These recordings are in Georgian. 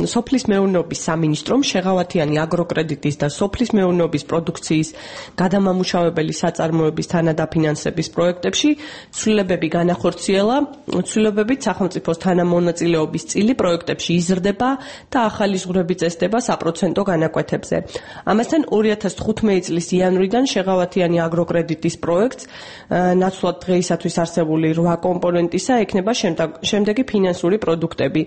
სოფლის მეურნეობის სამინისტრომ შეღავათიანი აგროკრედიტის და სოფლის მეურნეობის პროდუქციის გადამამუშავებელი საწარმოების თანადაფინანსების პროექტებში ცვლილებები განახორციელა. ცვლილებებით სახელმწიფოს თანამონაწილეობის წილი პროექტებში იზრდება და ახალი ზღვრები წესდება საპროცენტო განაკვეთებზე. ამასთან 2015 წლის იანვრიდან შეღავათიანი აგროკრედიტის პროექტს ნაცვლად დღეისათვის არსებული 8 კომპონენტისა ექნება შემდეგი ფინანსური პროდუქტები.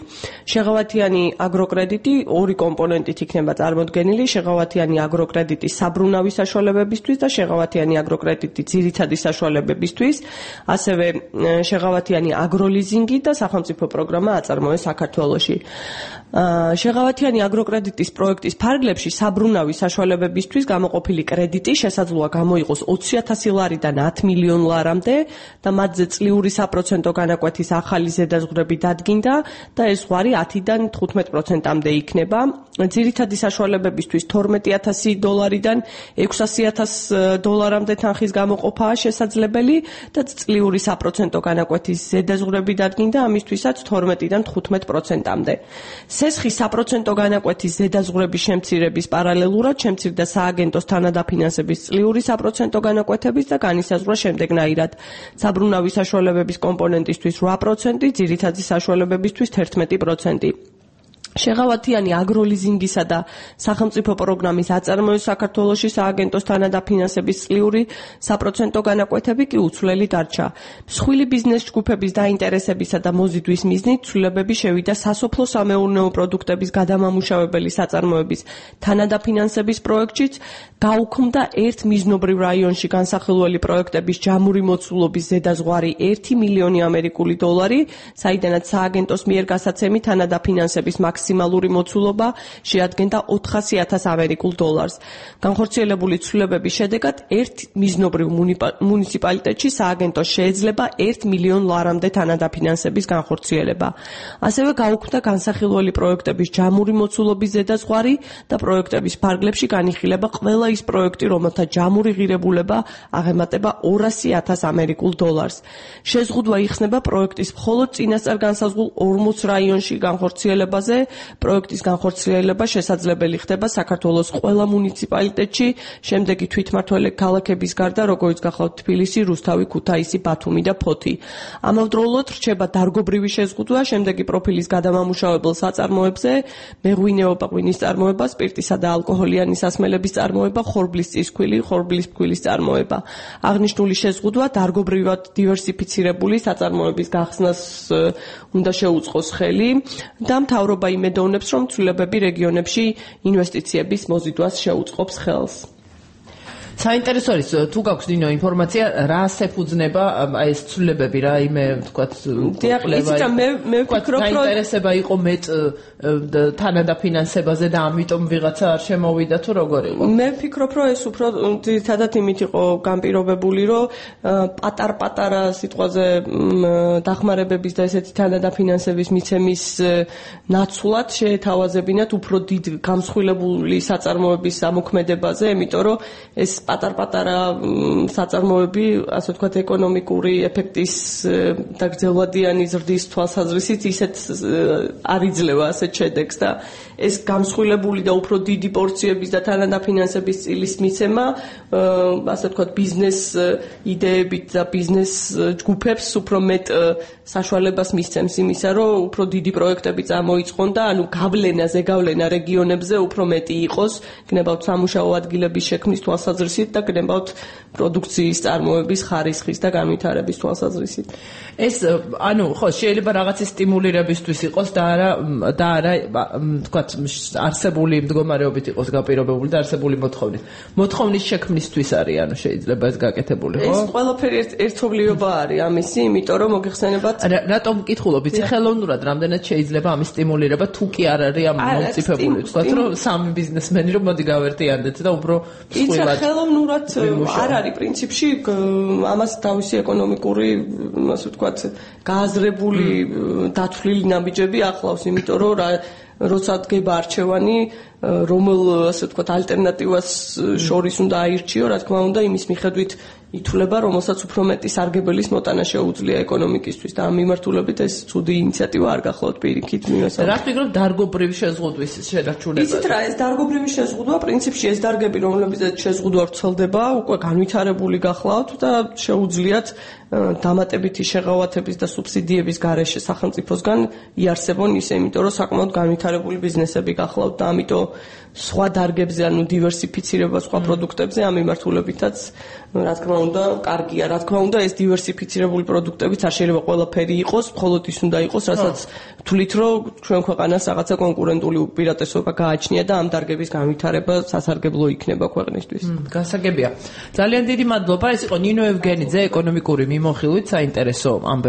შეღავათიანი აგროკრედიტი 2 კომპონენტით იქნება წარმოდგენილი: შეღავათიანი აგროკრედიტის საბრუნავი საშუალებებისთვის და შეღავათიანი აგროკრედიტი ძირითადი საშუალებებისთვის, ასევე შეღავათიანი აგროლიზინგი და სახელმწიფო პროგრამა აწარმოეს საქართველოში. შეღავათიანი აგროკრედიტის პროექტის ფარგლებში საბრუნავი საშუალებებისთვის გამოყოფილი კრედიტი შესაძლოა გამოიყოს 20,000 ლარიდან 10 მილიონ ლარამდე და მათზე წლიური საპროცენტო განაკვეთის ახალი ზედაზღვრები დადგინდა და ეს ზღვარი 10-დან 15%-მდე იქნება. ძირითადი საშუალებებისთვის 12,000 დოლარიდან 600,000 დოლარამდე თანხის გამოყოფაა შესაძლებელი და წლიური საპროცენტო განაკვეთის ზედაზღვრები დადგინდა ამისთვისაც 12-დან 15%-მდე. სესხის საპროცენტო განაკვეთის ზედაზღვრების შემცირების პარალელურად შემცირდა სააგენტოს თანადაფინანსების წლიური საპროცენტო განაკვეთების და განისაზღვრა შემდეგნაირად: საბრუნავი საშუალებების კომპონენტისთვის 8%, ძირითადი საშუალებებისთვის 11%. შეღავათიანი აგროლიზინგისა და სახელმწიფო პროგრამის აწარმოების საქართველოში სააგენტოს თანადაფინანსების წლიური საპროცენტო განაკვეთები კი უცვლელი დარჩა. მსხვილი ბიზნეს ჯგუფების დაინტერესებისა და მოზიდვის მიზნით ცვლილებები შევიდა სასოფლო-სამეურნეო პროდუქტების გადამამუშავებელი საწარმოების თანადაფინანსების პროექტშიც, გაუქმდა ერთ მიზნობრივ რაიონში განსახილველი პროექტების ჯამური მოცულობის ზედაზღვარი 1 მილიონი ამერიკული დოლარი, საიდანაც სააგენტოს მიერ გასაცემი თანადაფინანსების მაქსიმალური მოცულობა შეადგენდა 400,000 ამერიკულ დოლარს. განხორციელებული ცვლილებების შედეგად ერთ მიზნობრივ მუნიციპალიტეტში სააგენტოს შეეძლება 1 მილიონ ლარამდე თანადაფინანსების განხორციელება. ასევე გაუქმდა განსახილველი პროექტების ჯამური მოცულობის ზედაზღვარი და პროექტების ფარგლებში განიხილება ყველა ის პროექტი, რომელთა ჯამური ღირებულება აღემატება 200,000 ამერიკულ დოლარს. შეზღუდვა იხსნება პროექტის მხოლოდ წინასწარ განსაზღვრულ 40 რაიონში განხორციელებაზე. პროექტის განხორციელება შესაძლებელი ხდება საქართველოს ყველა მუნიციპალიტეტში, შემდეგი თვითმმართველი ქალაქების გარდა, როგორიც გახლავთ თბილისი, რუსთავი, ქუთაისი, ბათუმი და ფოთი. ამავდროულად რჩება დარგობრივი შეზღუდვა შემდეგი პროფილის გადამამუშავებელ საწარმოებზე: მეღვინეობა, ღვინის წარმოება, სპირტისა და ალკოჰოლიანი სასმელების წარმოება, ხორბლის წისქვილი, ხორბლის ფქვილის წარმოება. აღნიშნული შეზღუდვა დარგობრივად დივერსიფიცირებული საწარმოების გახსნას უნდა შეუწყოს ხელი და მთავრობა იმედოვნებს, რომ ცვლილებები რეგიონებში ინვესტიციების მოზიდვას შეუწყობს ხელს. საინტერესო არის თუ გაქვს დინო ინფორმაცია რას ეფუძნება აი ეს ცვლილებები რა იმე ვთქვათ მე ვფიქრობ რომ საინტერესება იყო მეტ თანადაფინანსებაზე და ამიტომ ვიღაცა არ შემოვიდა თუ როგორ იყო მე ვფიქრობ რომ ეს უფრო ძირითადად იმით იყო განპირობებული რომ პატარ-პატარა სიტყვაზე დახმარებების და ესეთი თანადაფინანსების მიცემის ნაცვლად შეეთავაზებინათ უფრო დიდ გამსხვილებული საწარმოების ამოქმედებაზე, იმიტომ რომ ეს პატარ-პატარა საწარმოები, ასე ვთქვათ, ეკონომიკური ეფექტის და გრძელვადიანი ზრდის თვალსაზრისით ისეთ არ იძლევა ასეთ შედეგს და ეს გამსხვილებული და უფრო დიდი პორციების და თანადაფინანსების წილის მიცემა, ასე ვთქვათ, ბიზნეს იდეებით და ბიზნეს ჯგუფებს უფრო მეტ საშუალებას მისცემს იმისა, რომ უფრო დიდი პროექტები წამოიწყონ და ანუ ზეგავლენა რეგიონებზე უფრო მეტი იყოს, გნებავთ სამუშაო ადგილების შექმნის თვალსაზრისით და გნებავთ პროდუქციის წარმოების ხარისხის და განვითარების თვალსაზრისით. ეს ანუ ხო შეიძლება რაღაცის სტიმულირებისთვის იყოს და არა თქვათ არსებული მდგომარეობით იყოს გაპირობებული და არსებული მოთხოვნის შექმნისთვის არის ანუ შეიძლება ეს გაკეთებული ხო? ეს ყველაფერი ერთობლიობა არის ამისი, იმიტომ რომ მოგეხსენებათ რატომ მკითხულობ, იცი ხელოვნურად რამდენად შეიძლება ამის სტიმულირება თუ კი არ არის ამ მომწიფებული, თქვათ რომ სამი ბიზნესმენი რომ მოდი გავერთიანდეთ და უფრო სულ ხელოვნურად არ არის პრინციპში ამას თავისი ეკონომიკური, ასე ვთქვათ, გააზრებული დათვლილი ნაბიჯები ახლავს, იმიტომ რომ როცა დგება არჩევანი, რომელ ასე ვთქვათ ალტერნატივას შორის უნდა აირჩიო, რა თქმა უნდა, იმის მიხედვით ითვლება, რომელსაც უფრო მეტი სარგებელის მოტანა შეუძლია ეკონომიკისთვის და ამ მიმართულებით ეს ცუდი ინიციატივა არ გახლავთ პირიქით მივესალმებით. რა თქვენ დარგობრივი შეზღუდვის შენარჩუნება? იცით რა, ეს დარგობრივი შეზღუდვა პრინციპში ეს დარგები, რომლებზეც შეზღუდვა ვრცელდება, უკვე განვითარებული გახლავთ და შეუძლიათ დამატებითი შეღავათების და სუბსიდიების გარეშე სახელმწიფოსგან იარსებონ ისე, იმიტომ რომ საკმაოდ განვითარებული ბიზნესები გახლავთ და ამიტომ სხვა დარგებზე, ანუ დივერსიფიცირება სხვა პროდუქტებზე ამ მიმართულებითაც რა თქმა უნდა, კარგია, რა თქმა უნდა, ეს დივერსიფიცირებული პროდუქტებიც არ შეიძლება ყველაფერი იყოს, მხოლოდ ის უნდა იყოს, რასაც თვლით, რომ ჩვენ ქვეყანას რაღაცა კონკურენტული უპირატესობა გააჩნია და ამ დარგების განვითარება სასარგებლო იქნება ქვეყნისთვის. გასაგებია. ძალიან დიდი მადლობა. ეს იყო ნინო ევგენიძე, ეკონომიკური მიმოხილვით საინტერესო